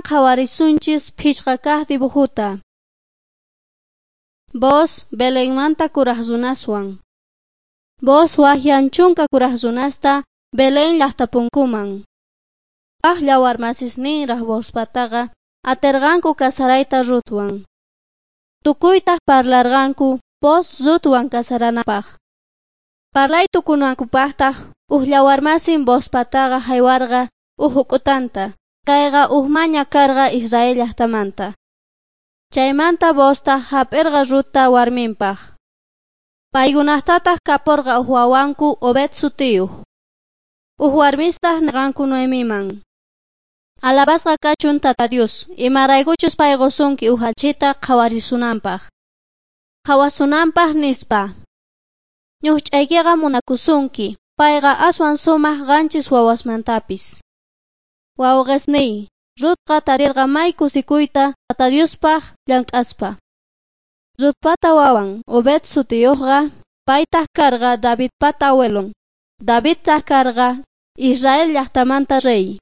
Qhawarisunchis phishqa kaq dibujuta. Booz Belenmanta kuraj runaswan. Booz wajyan 10 kuraj runasta Belén llaqtapunkuman. Waj llawarmasisninraj Boozpataqa aterqanku casarayta Rutwan. Tukuytaj parlarqanku Booz Rutwan casaranapaj. Parlay tukunankupajtaj uj llawarmasin Boozpataqa haywarqa uj huk'utanta. Kayqa uj maña karqa Israel llaqtamanta. Chaymanta Booztaj hap'irqa Rutta warminpaj. Paykunajtataq kaporqa uj wawanku Obed sutiyuq. Uj warmistaq nerqanku Noemiman: Alabasqa kachun Tata Dios, imaraykuchus pay qusunki uj allchhita qhawarisunanpaj. Qhawasunanpaj nispa. Ñuqch'aykiqa munakusunki, payqa aswan sumaq 7 wawasmantapis. Wawqesniy, Rutqa tarirqa may kusikuyta Tata Diospaj llank'aspa. Rutpata wawan Obed sutiyuqqa, paytaj karqa Davidpata abuelon. Davidtaj karqa Israel llaqtamanta rey.